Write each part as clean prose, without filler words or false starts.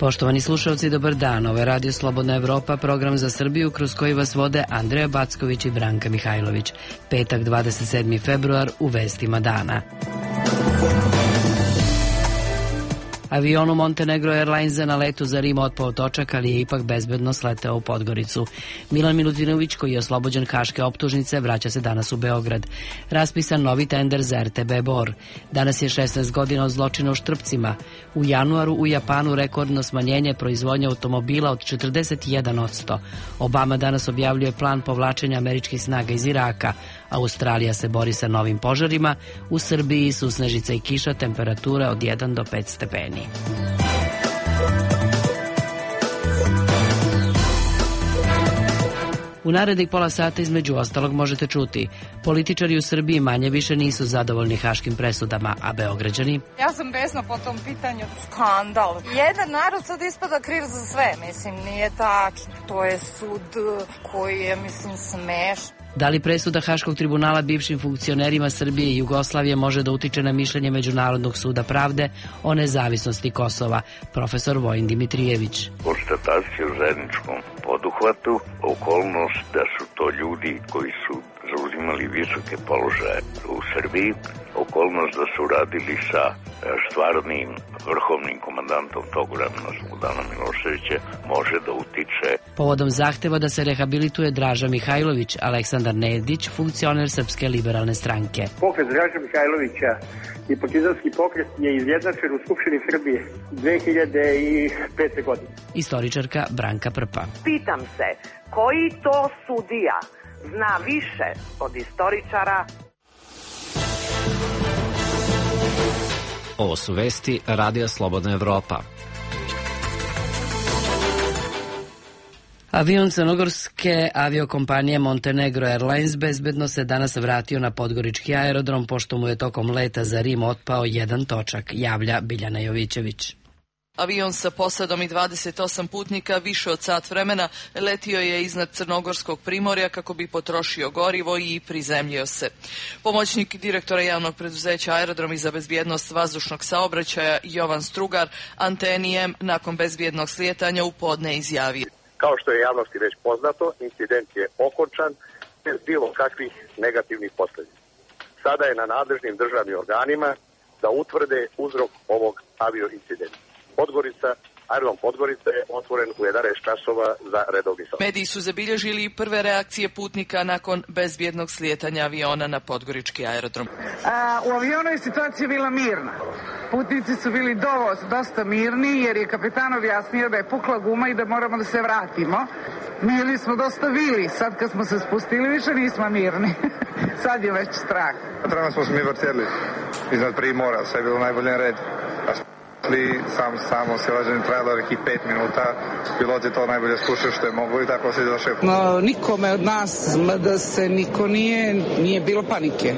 Poštovani slušalci, dobar dan. Ovo je Radio Slobodna Evropa, program za Srbiju kroz koji vas vode Andreja Backović i Branka Mihajlović. Petak, 27. februar, u vestima dana. Avion u Montenegro Airlinesa na letu za Rim otpao točak, ali je ipak bezbedno sleteo u Podgoricu. Milan Milutinović, koji je oslobođen haške optužnice, vraća se danas u Beograd. Raspisan novi tender za RTB Bor. Danas je 16 godina od zločina u Štrpcima. U januaru u Japanu rekordno smanjenje proizvodnje automobila od 41%. Obama danas objavljuje plan povlačenja američkih snaga iz Iraka. Australija se bori sa novim požarima. U Srbiji su snežica i kiša, temperature od 1 do 5 stepeni. U narednih pola sata između ostalog možete čuti: političari u Srbiji manje više nisu zadovoljni haškim presudama, a Beograđani... Ja sam besna po tom pitanju. Skandal. Jedan narod sad ispada kriv za sve. Mislim, nije tačno. To je sud koji je, smešan. Da li presuda Haškog tribunala bivšim funkcionerima Srbije i Jugoslavije može da utiče na mišljenje Međunarodnog suda pravde o nezavisnosti Kosova? Profesor Vojin Dimitrijević. Konstatacija u zajedničkom poduhvatu, okolnost da su to ljudi koji su zauzimali visoke položaje u Srbiji, okolnost da su radili sa stvarnim vrhovnim komandantom tog vremena, Slobodanom Miloševića, može da utiče. Povodom zahteva da se rehabilituje Draža Mihajlović, Aleksandar Nedić, funkcioner Srpske liberalne stranke. Pokret Draža Mihajlovića i partizanski pokret je izjednačen u Skupštini Srbije 2005. godine. Istoričarka Branka Prpa. Pitam se, koji to sudija zna više od istoričara? Ovo su vesti Radija Slobodna Evropa. Avion crnogorske aviokompanije Montenegro Airlines bezbedno se danas vratio na podgorički aerodrom, pošto mu je tokom leta za Rim otpao jedan točak, javlja Biljana Jovićević. Avion sa posadom i 28 putnika više od sat vremena letio je iznad Crnogorskog primorja kako bi potrošio gorivo i prizemljio se. Pomoćnik direktora javnog preduzeća Aerodromi za bezbjednost vazdušnog saobraćaja Jovan Strugar Antenijem nakon bezbjednog slijetanja u podne izjavio. Kao što je javnosti već poznato, incident je okončan bez bilo kakvih negativnih posljedica. Sada je na nadležnim državnim organima da utvrde uzrok ovog avioincidenta. Aerodrom Podgorica je otvoren u 11 časova za redovni saobraćaj. Mediji su zabilježili prve reakcije putnika nakon bezbjednog slijetanja aviona na podgorički aerodrom. U avionu je situacija bila mirna. Putnici su bili dosta mirni jer je kapitan objasnio da je pukla guma i da moramo da se vratimo. Mirni smo dosta bili, sad kad smo se spustili više nismo mirni. Sad je već strah. Trenutno smo se mi vrtjeli iznad primora, sve je bilo najbolje na redu. Samo silaženje trajalo nekih 5 minuta, pilot je to najbolje skušao što je moglo i tako se zašao. Nikome od nas, da se niko nije bilo panike.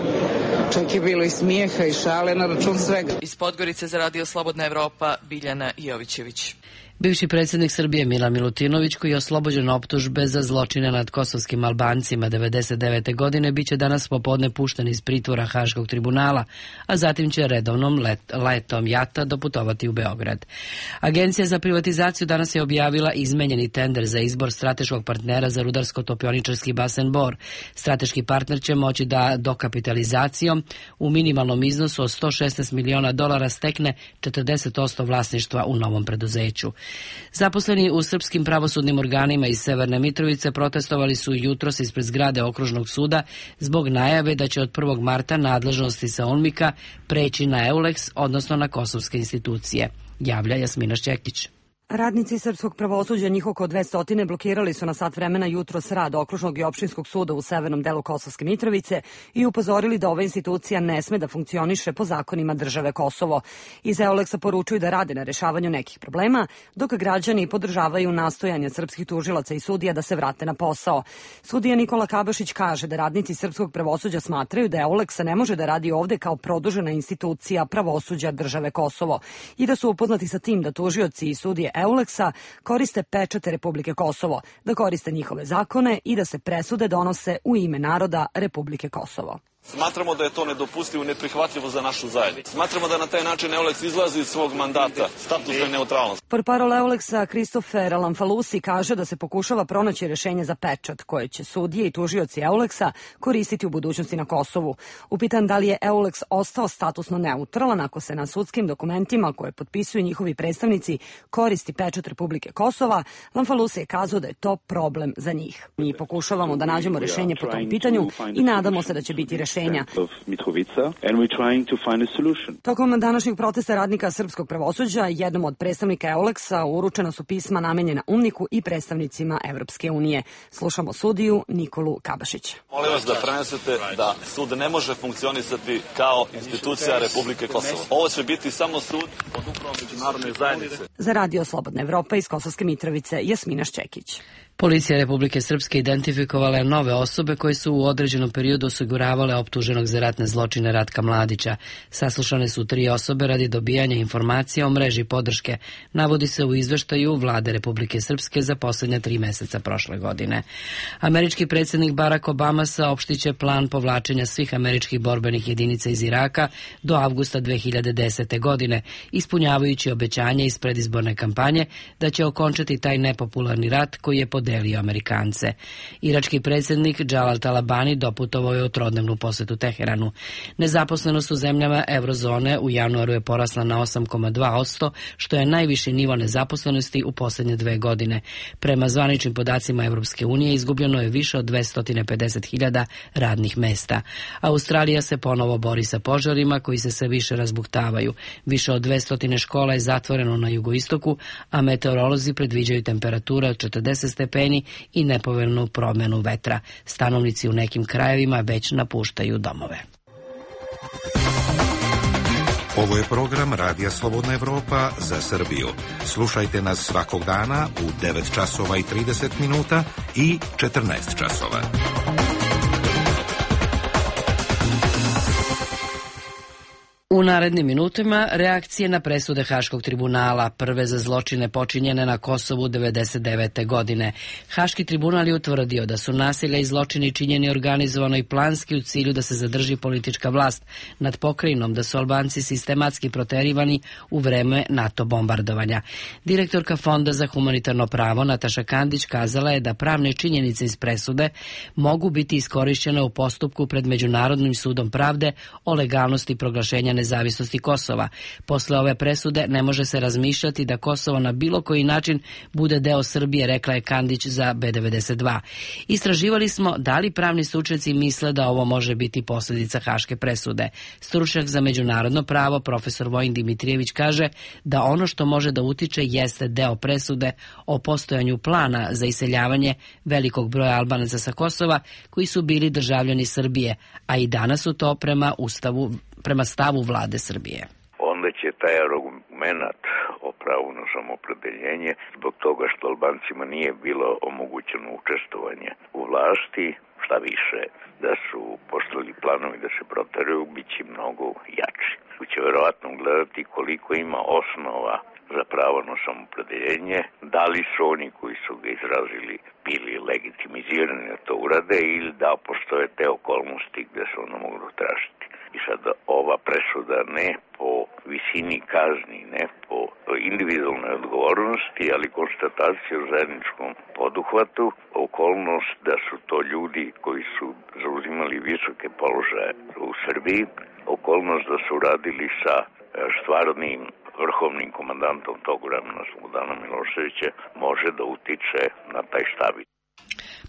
Čak je bilo i smijeha i šale na račun svega. Iz Podgorice za Radio Slobodna Evropa, Biljana Jovićević. Bivši predsjednik Srbije Milan Milutinović, koji je oslobođen optužbe za zločine nad kosovskim Albancima 1999. godine, biće danas popodne pušten iz pritvora Haškog tribunala, a zatim će redovnom letom jata doputovati u Beograd. Agencija za privatizaciju danas je objavila izmenjeni tender za izbor strateškog partnera za rudarsko-topioničarski basen Bor. Strateški partner će moći da dokapitalizacijom u minimalnom iznosu od $116 miliona stekne 40% vlasništva u novom preduzeću. Zaposleni u srpskim pravosudnim organima iz Severne Mitrovice protestovali su jutros ispred zgrade okružnog suda zbog najave da će od 1. marta nadležnosti sa UNMIK-a preći na EULEX, odnosno na kosovske institucije, javlja Jasmina Šćekić. Radnici srpskog pravosuđa, njih oko 200, blokirali su na sat vremena jutros rad okružnog i opštinskog suda u severnom delu Kosovske Mitrovice i upozorili da ova institucija ne sme da funkcioniše po zakonima države Kosovo. Iz EULEX-a poručuju da rade na rešavanju nekih problema, dok građani podržavaju nastojanja srpskih tužilaca i sudija da se vrate na posao. Sudija Nikola Kabašić kaže da radnici srpskog pravosuđa smatraju da EULEX ne može da radi ovde kao produžena institucija pravosuđa države Kosovo i da su upoznati sa tim da tužioci i sudije EULEX-a koriste pečate Republike Kosovo, da koriste njihove zakone i da se presude donose u ime naroda Republike Kosovo. Smatramo da je to nedopustivo i neprihvatljivo za našu zajednicu. Smatramo da na taj način EULEX izlazi iz svog mandata, statusne neutralnosti. Portparol EULEX-a Christopher Lamfalusi kaže da se pokušava pronaći rešenje za pečat koje će sudije i tužioci EULEX-a koristiti u budućnosti na Kosovu. Upitan da li je EULEX ostao statusno neutralan ako se na sudskim dokumentima koje potpisuju njihovi predstavnici koristi pečat Republike Kosova, Lamfalusi je kazao da je to problem za njih. Mi pokušavamo da nađemo rešenje po tom pitanju i nadamo se da će biti rešenja. Tokom današnjeg protesta radnika srpskog pravosuđa, jednom od predstavnika EULEX-a uručena su pisma namenjena UNMNIK-u i predstavnicima Evropske unije. Slušamo sudiju Nikolu Kabašića. Molim vas da prenesete da sud ne može funkcionisati kao institucija Republike Kosovo. Ovo će biti samo sud pod upravom međunarodne zajednice. Za Radio Slobodna Evropa iz Kosovske Mitrovice, Jasmina Šćekić. Policija Republike Srpske identifikovala je nove osobe koje su u određenom periodu osiguravale optuženog za ratne zločine Ratka Mladića. Saslušane su 3 osobe radi dobijanja informacija o mreži podrške, navodi se u izveštaju Vlade Republike Srpske za posljednja 3 meseca prošle godine. Američki predsjednik Barack Obama saopštiće plan povlačenja svih američkih borbenih jedinica iz Iraka do avgusta 2010. godine, ispunjavajući obećanje iz predizborne kampanje da će okončati taj nepopularni rat koji je podelio Amerikance. Irački predsjednik Jalal Talabani doputovao je u trodnevnu posetu Teheranu. Nezaposlenost u zemljama eurozone u januaru je porasla na 8,2%, što je najviši nivo nezaposlenosti u posljednje 2 godine. Prema zvaničnim podacima Evropske unije izgubljeno je više od 250.000 radnih mesta. Australija se ponovo bori sa požarima koji se sve više razbuktavaju. Više od 200 škola je zatvoreno na jugoistoku, a meteorolozi predviđaju temperature od 40 stepeni i nepovoljnu promjenu vetra. Stanovnici u nekim krajevima već napuštaju domove. Ovo je program Radija Slobodna Evropa za Srbiju. Slušajte nas svakog dana u 9 časova i 30 minuta i 14 časova. U narednim minutima reakcije na presude Haškog tribunala, prve za zločine počinjene na Kosovu 1999. godine. Haški tribunal je utvrdio da su nasilja i zločini činjeni organizovano i planski u cilju da se zadrži politička vlast nad pokrajinom, da su Albanci sistematski proterivani u vreme NATO bombardovanja. Direktorka Fonda za humanitarno pravo Nataša Kandić kazala je da pravne činjenice iz presude mogu biti iskorišćene u postupku pred Međunarodnim sudom pravde o legalnosti proglašenja nezavisnosti Kosova. Posle ove presude ne može se razmišljati da Kosovo na bilo koji način bude deo Srbije, rekla je Kandić za B92. Istraživali smo da li pravni stručnjaci misle da ovo može biti posljedica Haške presude. Stručnjak za međunarodno pravo profesor Vojin Dimitrijević kaže da ono što može da utiče jeste deo presude o postojanju plana za iseljavanje velikog broja Albanaca sa Kosova koji su bili državljani Srbije, a i danas su to prema stavu vlade Srbije. Onda će taj argument o pravu na samoopredjeljenje zbog toga što Albancima nije bilo omogućeno učestvovanje u vlasti, šta više, da su postavili planovi da se proteraju, bit će mnogo jači. Tu će verovatno gledati koliko ima osnova za pravo na samoopredjeljenje, da li su oni koji su ga izrazili bili legitimizirani da to urade ili da postoje te okolnosti gde se ono mogu tražiti. I sad ova presuda ne po visini kazni, ne po individualnoj odgovornosti, ali konstatacija o zajedničkom poduhvatu, okolnost da su to ljudi koji su zauzimali visoke položaje u Srbiji, okolnost da su radili sa stvarnim vrhovnim komandantom tog vremena Slobodana Miloševića može da utiče na taj stav.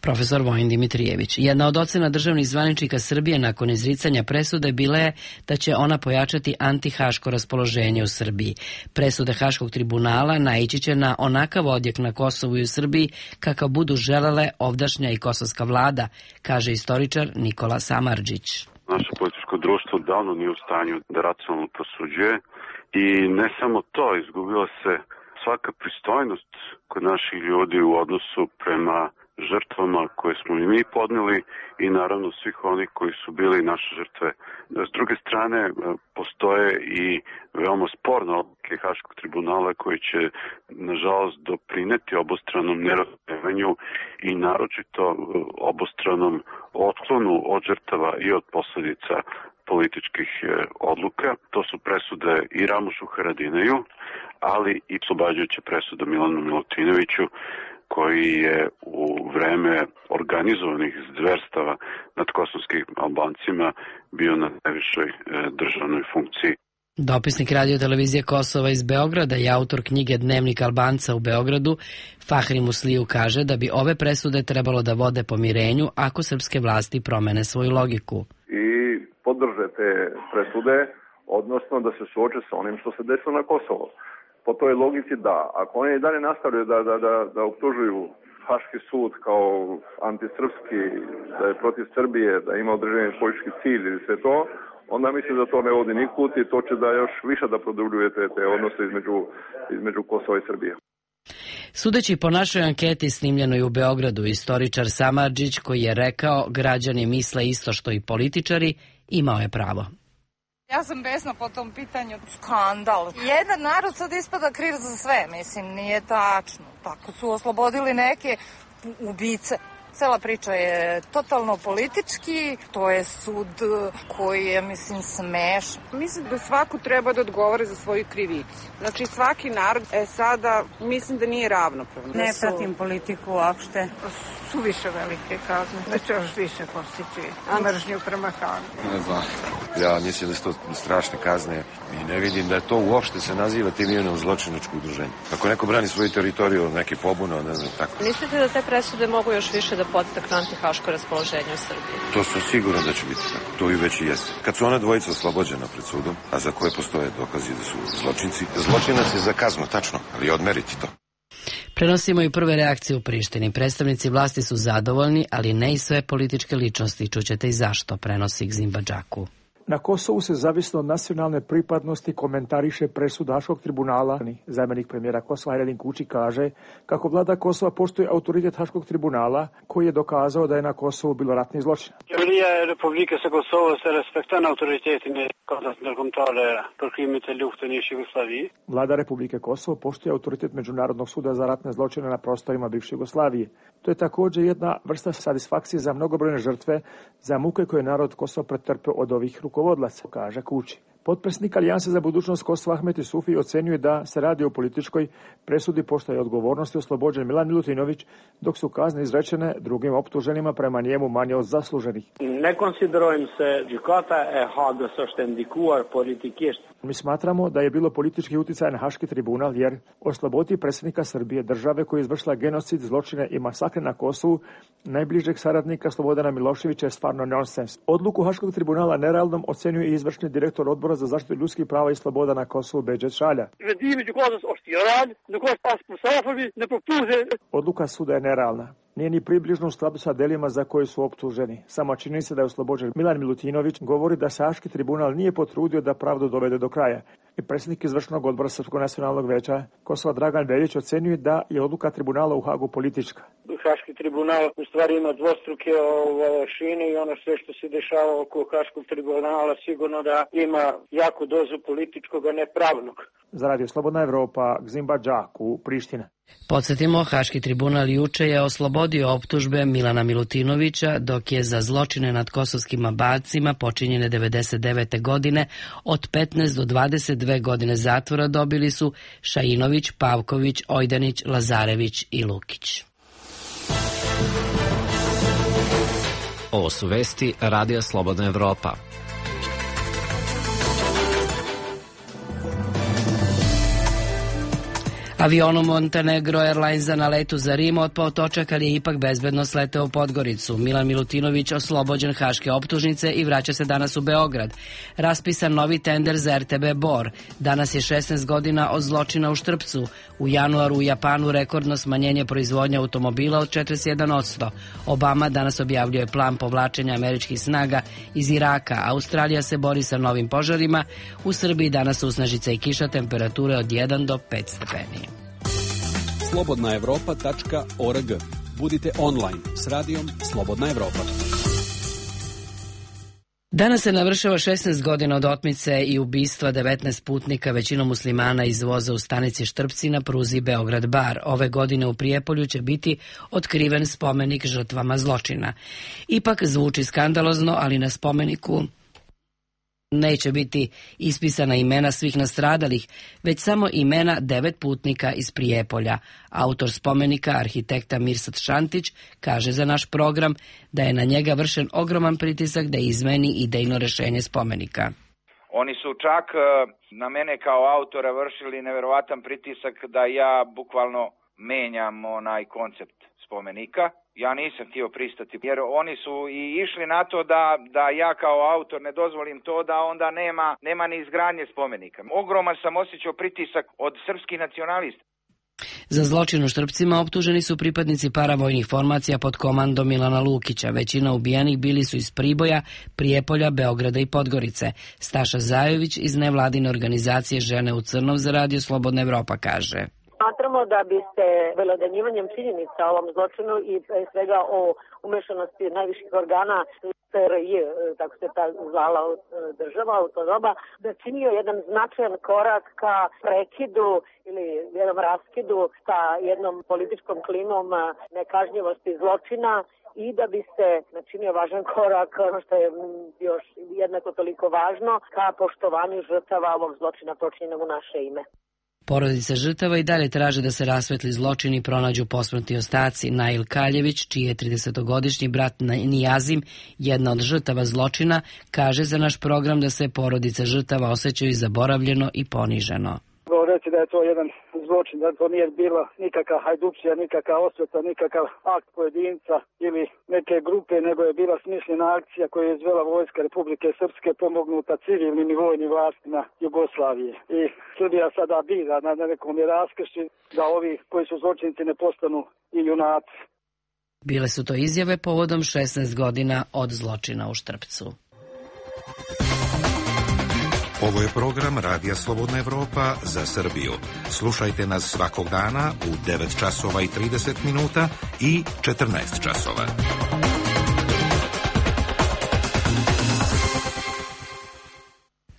Profesor Vojin Dimitrijević. Jedna od ocena državnih zvaničnika Srbije nakon izricanja presude bila je da će ona pojačati antihaško raspoloženje u Srbiji. Presude Haškog tribunala naići će na onakav odjek na Kosovu i u Srbiji kakav budu želele ovdašnja i kosovska vlada, kaže istoričar Nikola Samardžić. Naše političko društvo davno nije u stanju da racionalno prosuđuje i ne samo to, izgubila se svaka pristojnost kod naših ljudi u odnosu prema žrtvama koje smo i mi podneli i naravno svih onih koji su bili naše žrtve. S druge strane, postoje i veoma sporne odluke Haškog tribunala koji će, nažalost, doprineti obostranom nerazumevanju i naročito obostranom otklonu od žrtava i od posledica političkih odluka. To su presude i Ramušu Haradinaju, ali i oslobađajuća presuda Milanu Milutinoviću, koji je u vreme organizovanih zverstava nad kosovskim Albancima bio na najvišoj državnoj funkciji. Dopisnik radio televizije Kosova iz Beograda i autor knjige Dnevnik Albanca u Beogradu, Fahri Musliju, kaže da bi ove presude trebalo da vode pomirenju ako srpske vlasti promene svoju logiku. I podrže te presude, odnosno da se suoče sa onim što se desilo na Kosovo. Po toj logici da, ako oni i dalje nastavljaju da optužuju Haški sud kao antisrpski, da je protiv Srbije, da ima određeni politički cilj ili sve to, onda mislim da to ne vodi nikud i to će da još više da produbljuje te odnose između Kosova i Srbije. Sudeći po našoj anketi snimljenoj u Beogradu, istoričar Samardžić, koji je rekao građani misle isto što i političari, imao je pravo. Ja sam besna po tom pitanju. Skandal. Jedan narod sad ispada kriv za sve, mislim, nije tačno. Tako su oslobodili neke ubice. Cela priča je totalno politički, to je sud koji je, mislim, smešan. Mislim da svako treba da odgovore za svoju krivicu. Znači svaki narod sada mislim da nije ravnopravno. Ne pratim politiku uopšte. Suviše velike kazne, da će još više postići mržnju prema Hagu. Ne znam. Ja mislim da su to strašne kazne i ne vidim da je to uopšte se naziva tim imenom zločinačko udruženje. Ako neko brani svoju teritoriju od neke pobune, ne znam tako. Mislite da te presude mogu još više da podstaknu antihaško raspoloženje u Srbiji? To su sigurno da će biti tako. To i već i jeste. Kad su ona dvojica oslobođena pred sudom, a za koje postoje dokazi da su zločinci, zločinac je za kaznu, tačno, ali odmeriti to. Prenosimo i prve reakcije u Prištini. Predstavnici vlasti su zadovoljni, ali ne i sve političke ličnosti. Čućete i zašto, prenosi Gzim Badžaku. Na Kosovu se zavisno od nacionalne pripadnosti komentariše presuda Haškog tribunala. Zamjenik premijera Kosova Hajredin Kuči kaže kako vlada Kosova poštuje autoritet Haškog tribunala koji je dokazao da je na Kosovu bilo ratni zločin. Qeveria e Republikës së Kosovës se respekton autoritetin e Kontrat ndërkombëtare për krimet e luftën në Jugosllavi. Vlada Republike Kosovo poštuje autoritet Međunarodnog suda za ratne zločine na prostorima bivše Jugoslavije. To je također jedna vrsta satisfakcije za mnogobrojne žrtve, za muke koje narod Kosova pretrpeo od ovih rukovodlaca, kaže Kuči. Potpredsjednik Alijanse za budućnost Kosova Ahmet Isufi ocenjuje da se radi o političkoj presudi pošto je odgovornosti oslobođen Milan Milutinović, dok su kazne izrečene drugim optuženima prema njemu manje od zasluženih. Ne konsiderojmë se gjykata e Hagës është ndikuar politikisht. Mi smatramo da je bilo politički uticaj na Haški tribunal jer osloboditi predsjednika Srbije, države koja je izvršila genocid, zločine i masakre na Kosovu, najbližeg saradnika Slobodana Miloševića je stvarno nonsens. Odluku Haškog tribunala nerealnom ocenjuje i izvršni direktor odbora za zaštitu ljudskih prava i sloboda na Kosovu Beđet Šalja. Odluka suda je nerealna. Nije ni približno u skladu sa delima za koje su optuženi. Samo čini se da je oslobođen Milan Milutinović govori da se Haški tribunal nije potrudio da pravdu dovede do kraja. I predsjednik izvršnog odbora Srpskog nacionalnog veća Kosova Dragan Veljić ocenjuje da je odluka tribunala u Hagu politička. Haški tribunal u stvari ima dvostruke šine i ono sve što se dešava oko Haškog tribunala sigurno da ima jaku dozu političkog, a ne pravnog. Za Radio Slobodna Evropa, Gzim Badžaku, Priština. Podsjetimo, Haški tribunal juče je oslobodio optužbe Milana Milutinovića, dok je za zločine nad kosovskim Albancima počinjene 99. godine od 15 do 22 godine zatvora dobili su Šajinović, Pavković, Ojdanić, Lazarević i Lukić. Ovo su vesti Radija Slobodna Evropa. Avionom Montenegro Airlinesa na letu za Rim otpao točak, ali je ipak bezbedno sleteo u Podgoricu. Milan Milutinović oslobođen haške optužnice i vraća se danas u Beograd. Raspisan novi tender za RTB Bor. Danas je 16 godina od zločina u Štrpcu. U januaru u Japanu rekordno smanjenje proizvodnje automobila od 41%. Obama danas objavljuje plan povlačenja američkih snaga iz Iraka. Australija se bori sa novim požarima. U Srbiji danas usnežica i kiša, temperature od 1 do 5 stepeni. Slobodnaevropa.org. Budite online s radijom Slobodna Evropa. Danas se navršava 16 godina od otmice i ubistva 19 putnika, većinom muslimana, iz voza u stanici Štrpci na pruzi Beograd-Bar. Ove godine u Prijepolju će biti otkriven spomenik žrtvama zločina. Ipak zvuči skandalozno, ali na spomeniku neće biti ispisana imena svih nastradalih, već samo imena 9 putnika iz Prijepolja. Autor spomenika, arhitekta Mirsad Šantić, kaže za naš program da je na njega vršen ogroman pritisak da izmeni idejno rešenje spomenika. Oni su čak na mene kao autora vršili neverovatan pritisak da ja bukvalno menjam onaj koncept spomenika. Ja nisam htio pristati, jer oni su i išli na to da ja kao autor ne dozvolim to, da onda nema ni izgradnje spomenika. Ogroman sam osjećao pritisak od srpskih nacionalista. Za zločin u Štrpcima optuženi su pripadnici paravojnih formacija pod komandom Milana Lukića. Većina ubijenih bili su iz Priboja, Prijepolja, Beograda i Podgorice. Staša Zajović iz nevladine organizacije Žene u crnom za Radio Slobodna Evropa kaže: Smatramo da bi se belodanjivanjem činjenica o ovom zločinu i pre svega o umešanosti najviših organa SRJ, tako se ta zvala država u to doba, da činio jedan značajan korak ka prekidu ili jednom raskidu sa jednom političkom klimom nekažnjivosti zločina i da bi se načinio važan korak, ono što je još jednako toliko važno, ka poštovanju žrtava ovog zločina počinjenog u naše ime. Porodice žrtava i dalje traže da se rasvetli zločin i pronađu posmrtni ostaci. Nail Kaljević, čiji je 30-godišnji brat Nijazim, jedna od žrtava zločina, kaže za naš program da se porodice žrtava osjećaju zaboravljeno i poniženo. Reći da je to jedan zločin, da to nije bila nikakva hajdukcija, nikakva osveta, nikakav akt pojedinca ili neke grupe, nego je bila smišljena akcija koju je izvela Vojska Republike Srpske pomognuta civilnim i vojnim vlastima Jugoslavije. I Srbija sada bira na nekom je raskršći da ovi koji su zločinci ne postanu i junaci. Bile su to izjave povodom 16 godina od zločina u Štrpcu. Ovo je program Radija Slobodna Evropa za Srbiju. Slušajte nas svakog dana u 9 časova i 30 minuta i 14 časova.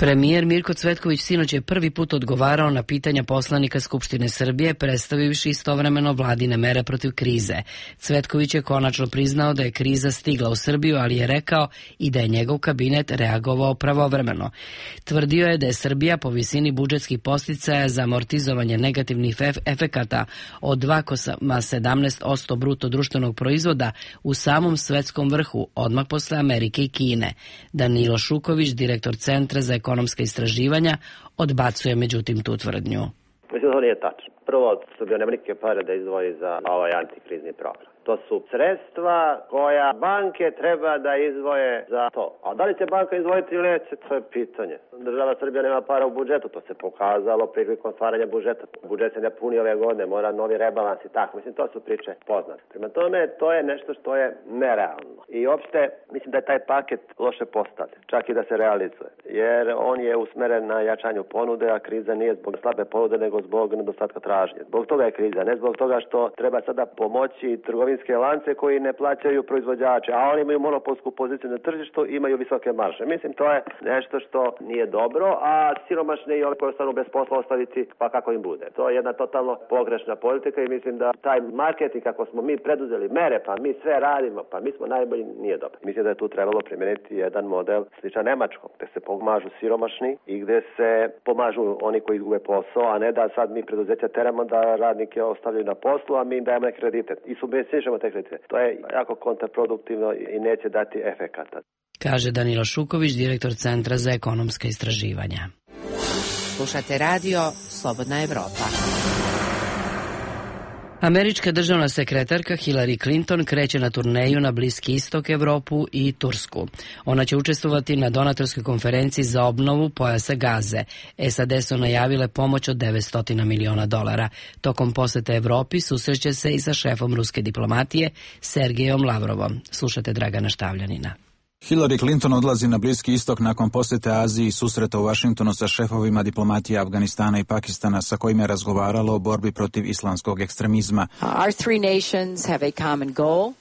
Premijer Mirko Cvetković sinoć je prvi put odgovarao na pitanja poslanika Skupštine Srbije, predstavivši istovremeno vladine mere protiv krize. Cvetković je konačno priznao da je kriza stigla u Srbiju, ali je rekao i da je njegov kabinet reagovao pravovremeno. Tvrdio je da je Srbija po visini budžetskih podsticaja za amortizovanje negativnih efekata od 2,17% bruto društvenog proizvoda u samom svetskom vrhu, odmah posle Amerike i Kine. Danilo Šuković, direktor Centra za ekonomska istraživanja, odbacuje međutim tu tvrdnju. Mislim da to nije tačno. Prvo, Srbija nema nikakve pare da izdvoji za ovaj antikrizni program. To su sredstva koja banke treba da izdvoje za to. A da li će banka izdvojiti ili neće, to je pitanje. Država Srbija nema para u budžetu, to se pokazalo prilikom stvaranja budžeta. Budžet se ne puni ove godine, mora novi rebalans i tako. Mislim, to su priče poznate. Prema tome, to je nešto što je nerealno. I uopšte, mislim da je taj paket loše postavljen, čak i da se realizuje. Jer on je usmeren na jačanju ponude, a kriza nije zbog slabe ponude, nego zbog nedostatka tražnje. Zbog toga je kriza, ne zbog toga što treba sada pomoći trgovinske lance koji ne plaćaju proizvođače, a oni imaju monopolsku poziciju na tržištu, imaju visoke marže. Mislim, to je nešto što nije dobro, a siromašne i ove koji ostanu bez posla ostaviti pa kako im bude. To je jedna totalno pogrešna politika i mislim da taj marketing, kako smo mi preduzeli mere, pa mi sve radimo, pa mi smo najbolji, nije dobro. Mislim da je tu trebalo primijeniti jedan model sličan nemačkom, gde se pomažu siromašni i gde se pomažu oni koji izgube posao, a ne da sad mi preduzeća teramo da radnike ostavljaju na poslu, a mi im dajemo kredite i subvencionišemo te kredite. To je jako kontraproduktivno i neće dati efekata. Kaže Danilo Šuković, direktor Centra za ekonomska istraživanja. Slušate radio Slobodna Evropa. Američka državna sekretarka Hillary Clinton kreće na turneju na Bliski istok, Evropu i Tursku. Ona će učestvovati na donatorskoj konferenciji za obnovu pojasa Gaze. SAD su najavile pomoć od $900 miliona. Tokom posete Evropi susreće se i sa šefom ruske diplomatije Sergejom Lavrovom. Slušate Dragana Štavljanina. Hillary Clinton odlazi na Bliski istok nakon posjete Aziji i susreta u Vašingtonu sa šefovima diplomatije Afganistana i Pakistana sa kojima je razgovaralo o borbi protiv islamskog ekstremizma. Our three nations have a common goal.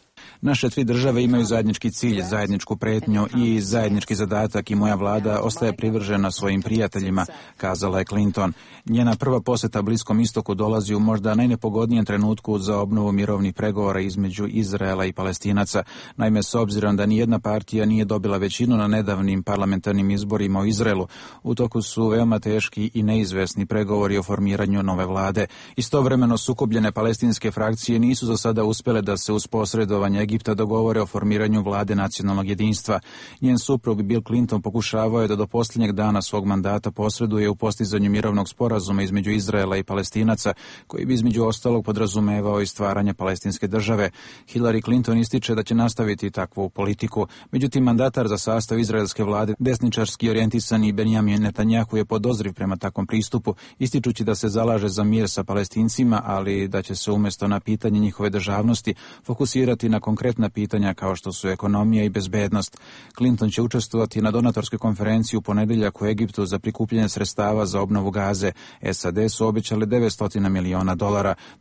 Naše tri države imaju zajednički cilj, zajedničku pretnju i zajednički zadatak i moja vlada ostaje privržena svojim prijateljima, kazala je Clinton. Njena prva posjeta Bliskom istoku dolazi u možda najnepogodnijem trenutku za obnovu mirovnih pregovora između Izraela i Palestinaca. Naime, s obzirom da nijedna partija nije dobila većinu na nedavnim parlamentarnim izborima u Izraelu, u toku su veoma teški i neizvesni pregovori o formiranju nove vlade. Istovremeno sukobljene palestinske frakcije nisu za sada uspjele da se uz posredovanje Egipta dogovore o formiranju vlade nacionalnog jedinstva. Njen suprug Bill Clinton pokušavao je da do posljednjeg dana svog mandata posreduje u postizanju mirovnog sporazuma između Izraela i Palestinaca, koji bi između ostalog podrazumevao i stvaranje palestinske države. Hillary Clinton ističe da će nastaviti takvu politiku. Međutim, mandatar za sastav izraelske vlade, desničarski orijentisani Benjamin Netanjahu, je podozriv prema takvom pristupu, ističući da se zalaže za mir sa Palestincima, ali da će se umjesto na pitanje njihove državnosti fokusirati na konkretna pitanja kao što su ekonomija i bezbednost. Clinton će učestvovati na donatorskoj konferenciji u ponedjeljak u Egiptu za prikupljanje sredstava za obnovu Gaze. SAD su obećali $900 miliona.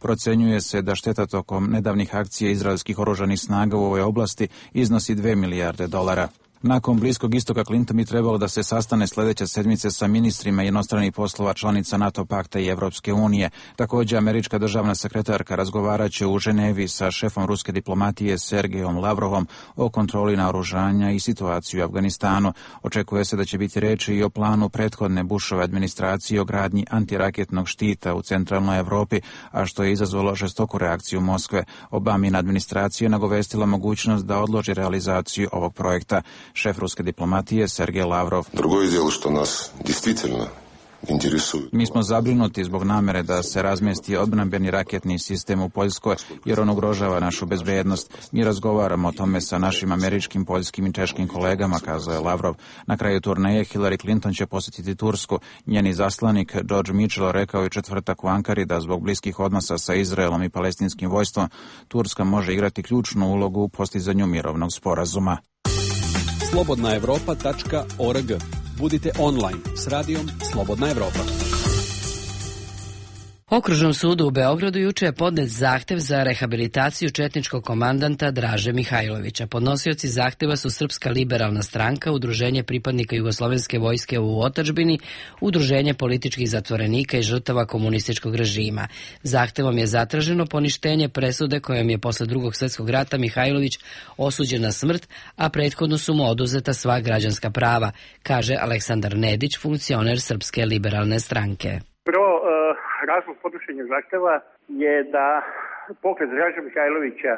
Procenjuje se da šteta tokom nedavnih akcija izraelskih oružanih snaga u ovoj oblasti iznosi $2 milijarde. Nakon Bliskog istoka Clinton bi trebalo da se sastane sljedeće sedmice sa ministrima inostranih poslova članica NATO pakta i Evropske unije. Također, američka državna sekretarka razgovarat će u Ženevi sa šefom ruske diplomatije Sergejom Lavrovom o kontroli naoružanja i situaciji u Afganistanu. Očekuje se da će biti reči i o planu prethodne Bushove administracije o gradnji antiraketnog štita u centralnoj Evropi, a što je izazvalo žestoku reakciju Moskve. Obamina administracija je nagovestila mogućnost da odloži realizaciju ovog projekta. Šef ruske diplomatije Sergej Lavrov. Mi smo zabrinuti zbog namere da se razmjesti odbrambeni raketni sistem u Poljskoj, jer on ugrožava našu bezbednost. Mi razgovaramo o tome sa našim američkim, poljskim i češkim kolegama, kazao je Lavrov. Na kraju turneje Hillary Clinton će posjetiti Tursku. Njeni zaslanik George Mitchell rekao je četvrtak u Ankari da zbog bliskih odnosa sa Izraelom i palestinskim vojstvom Turska može igrati ključnu ulogu u postizanju mirovnog sporazuma. slobodnaevropa.org. Budite online s radijom Slobodna Evropa. Okružnom sudu u Beogradu juče je podnet zahtev za rehabilitaciju četničkog komandanta Draže Mihajlovića. Podnosioci zahteva su Srpska liberalna stranka, Udruženje pripadnika Jugoslovenske vojske u otadžbini, Udruženje političkih zatvorenika i žrtava komunističkog režima. Zahtevom je zatraženo poništenje presude kojom je posle Drugog svjetskog rata Mihajlović osuđen na smrt, a prethodno su mu oduzeta sva građanska prava, kaže Aleksandar Nedić, funkcioner Srpske liberalne stranke. Razlog podnošenja zahteva je da pokret Draže Mihajlovića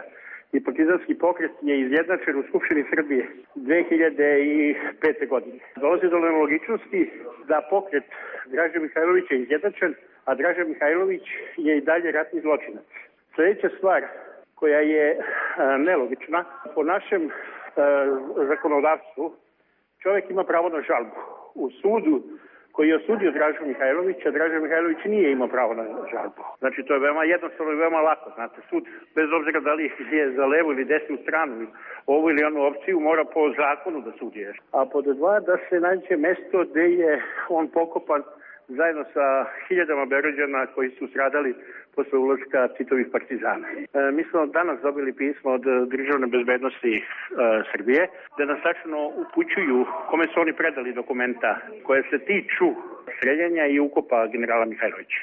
i partizanski pokret je izjednačen u Skupštini Srbije 2005. godine. Dolazi do nelogičnosti da pokret Draže Mihajlovića je izjednačen, a Draže Mihajlović je i dalje ratni zločinac. Sljedeća stvar koja je nelogična, po našem zakonodavstvu čovjek ima pravo na žalbu. U sudu koji je osudio Dražu Mihajlovića, Draža Mihajlović nije imao pravo na žalbu. Znači, to je veoma jednostavno i veoma lako. Znate, sud, bez obzira da li je za levu ili desnu stranu, ovu ili onu opciju, mora po zakonu da sudi. A pod dva, da se nađe mesto gde je on pokopan zajedno sa hiljadama Berođana koji su stradali posle ulaska Titovih partizana. Mi smo danas dobili pismo od Državne bezbednosti Srbije, da nas tačno upućuju kome su oni predali dokumenta koje se tiču streljanja i ukopa generala Mihajlovića.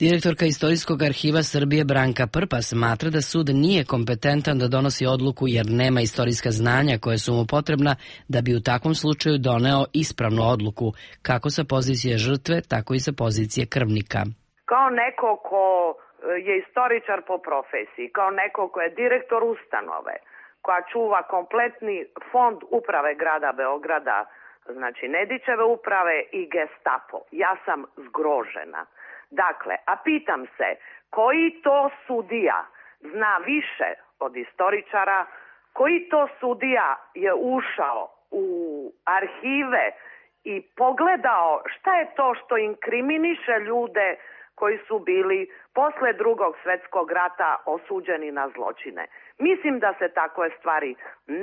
Direktorka Istorijskog arhiva Srbije Branka Prpa smatra da sud nije kompetentan da donosi odluku jer nema istorijska znanja koje su mu potrebna da bi u takvom slučaju doneo ispravnu odluku, kako sa pozicije žrtve, tako i sa pozicije krvnika. Kao neko ko je istoričar po profesiji, kao neko ko je direktor ustanove, koja čuva kompletni fond uprave grada Beograda, znači Nedićeve uprave i Gestapo, ja sam zgrožena. Dakle, a pitam se, koji to sudija zna više od istoričara, koji to sudija je ušao u arhive i pogledao šta je to što inkriminiše ljude koji su bili posle Drugog svjetskog rata osuđeni na zločine. Mislim da se takve stvari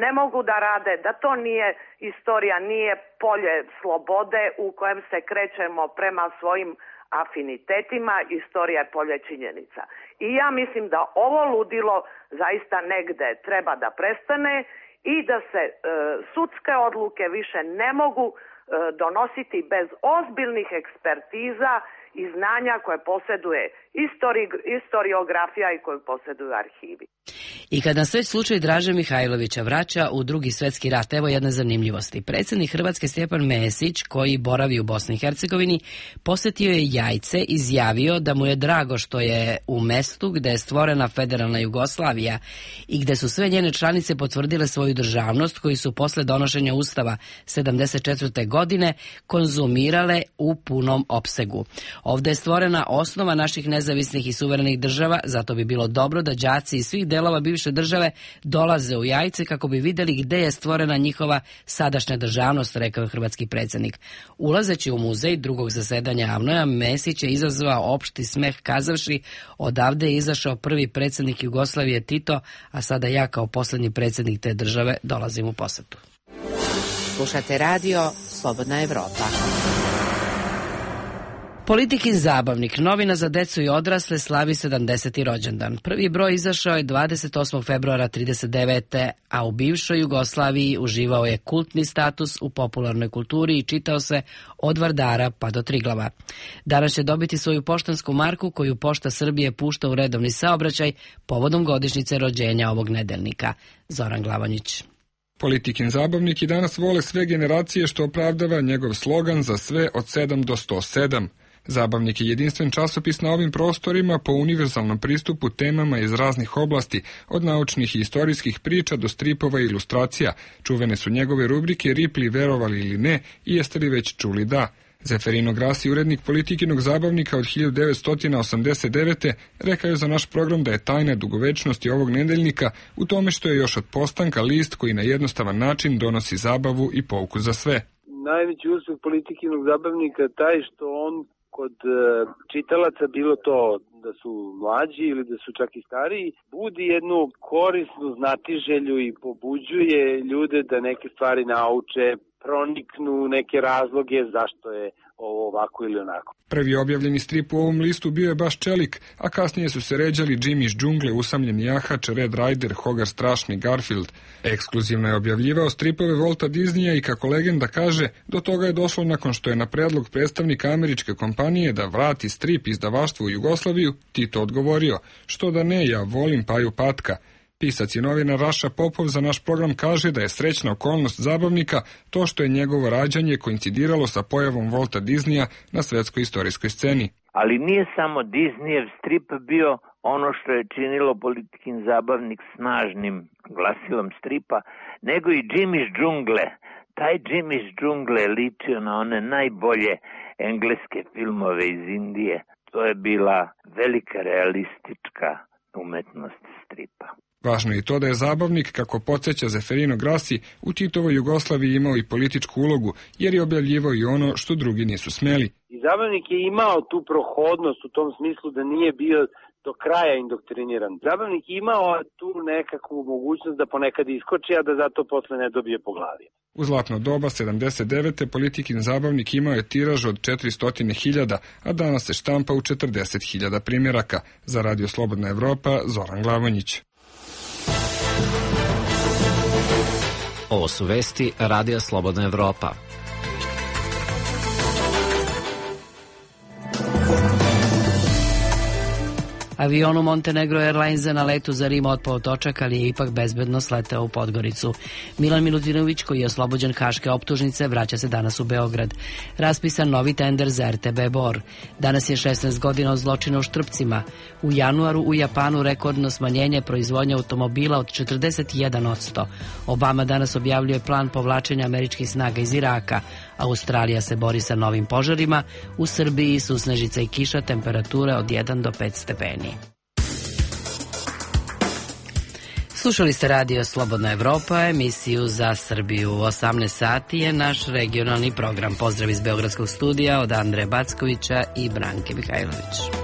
ne mogu da rade, da to nije istorija, nije polje slobode u kojem se krećemo prema svojim afinitetima, istorija je polje činjenica. I ja mislim da ovo ludilo zaista negde treba da prestane i da se sudske odluke više ne mogu donositi bez ozbiljnih ekspertiza i znanja koje posjeduje historiografija i koju posjeduju arhivi. I kad nas već slučaj Draže Mihajlovića vraća u Drugi svjetski rat, evo jedne zanimljivosti. Predsjednik Hrvatske Stjepan Mesić, koji boravi u Bosni i Hercegovini, posjetio je Jajce, izjavio da mu je drago što je u mestu gde je stvorena federalna Jugoslavija i gde su sve njene članice potvrdile svoju državnost, koji su posle donošenja Ustava 74. godine konzumirale u punom opsegu. Ovdje je stvorena osnova naših nezavisnih i suverenih država, zato bi bilo dobro da đaci iz svih delova bivše države dolaze u Jajce kako bi vidjeli gde je stvorena njihova sadašnja državnost, rekao je hrvatski predsjednik. Ulazeći u muzej drugog zasedanja AVNOJ-a, Mesić je izazvao opšti smeh kazavši: odavde je izašao prvi predsjednik Jugoslavije Tito, a sada ja kao posljednji predsjednik te države dolazim u posetu. Slušate radio Slobodna Evropa. Politikin zabavnik, novina za decu i odrasle, slavi 70. rođendan. Prvi broj izašao je 28. februara 1939. a u bivšoj Jugoslaviji uživao je kultni status u popularnoj kulturi i čitao se od Vardara pa do Triglava. Danas će dobiti svoju poštansku marku koju Pošta Srbije pušta u redovni saobraćaj povodom godišnjice rođenja ovog nedeljnika. Zoran Glavonjić. Politikin zabavnik i danas vole sve generacije, što opravdava njegov slogan za sve od 7 do 107. Zabavnik je jedinstven časopis na ovim prostorima po univerzalnom pristupu temama iz raznih oblasti, od naučnih i istorijskih priča do stripova i ilustracija. Čuvene su njegove rubrike Ripli, verovali ili ne, i jeste li već čuli da. Zeferino Grassi, urednik Politikinog zabavnika od 1989. rekao je za naš program da je tajna dugovečnosti ovog nedeljnika u tome što je još od postanka list koji na jednostavan način donosi zabavu i pouku za sve. Najveći uspeh Politikinog zabavnika taj što on kod čitalaca, bilo to da su mlađi ili da su čak i stariji, budi jednu korisnu znatiželju i pobuđuje ljude da neke stvari nauče, proniknu neke razloge zašto je ovo ovako ili onako. Prvi objavljeni strip u ovom listu bio je baš Čelik, a kasnije su se ređali Jimmy iz džungle, Usamljeni jahač, Red Rider, Hogar strašni, Garfield. Ekskluzivno je objavljivao stripove Walta Disneya i, kako legenda kaže, do toga je došlo nakon što je na predlog predstavnika američke kompanije da vrati strip izdavaštvu u Jugoslaviju Tito odgovorio: što da ne, ja volim Paju Patka. Pisac i novinar Raša Popov za naš program kaže da je srećna okolnost zabavnika to što je njegovo rađanje koincidiralo sa pojavom Walta Disneya na svetskoj istorijskoj sceni. Ali nije samo Disneyev strip bio ono što je činilo Politikin zabavnik snažnim glasilom stripa, nego i Jimmy iz džungle. Taj Jimmy iz džungle je ličio na one najbolje engleske filmove iz Indije. To je bila velika realistička umetnost stripa. Važno je i to da je zabavnik, kako podsjeća Zeferino Grassi, u Titovoj Jugoslaviji imao i političku ulogu, jer je objavljivao i ono što drugi nisu smeli. I zabavnik je imao tu prohodnost u tom smislu da nije bio do kraja indoktriniran. Zabavnik je imao tu nekakvu mogućnost da ponekad iskoči, a da zato posle ne dobije po glavi. U zlatno doba 79. Politikin zabavnik imao je tiraž od 400.000, a danas se štampa u 40.000 primjeraka. Za Radio Slobodna Evropa, Zoran Glavonjić. Ovo su vesti Radija Slobodna Evropa. Avion u Montenegro Airlinesa na letu za Rim otpao točak, ali je ipak bezbedno sleteo u Podgoricu. Milan Milutinović, koji je oslobođen haške optužnice, vraća se danas u Beograd. Raspisan novi tender za RTB Bor. Danas je 16 godina od zločina u Štrpcima. U januaru u Japanu rekordno smanjenje proizvodnje automobila od 41%. Obama danas objavljuje plan povlačenja američkih snaga iz Iraka. Australija se bori sa novim požarima. U Srbiji susnežica i kiša, temperature od 1 do 5 stepeni. Slušali ste Radio Slobodna Evropa, emisiju za Srbiju. U 18 sati je naš regionalni program. Pozdrav iz Beogradskog studija od Andreja Backovića i Branke Mihajlović.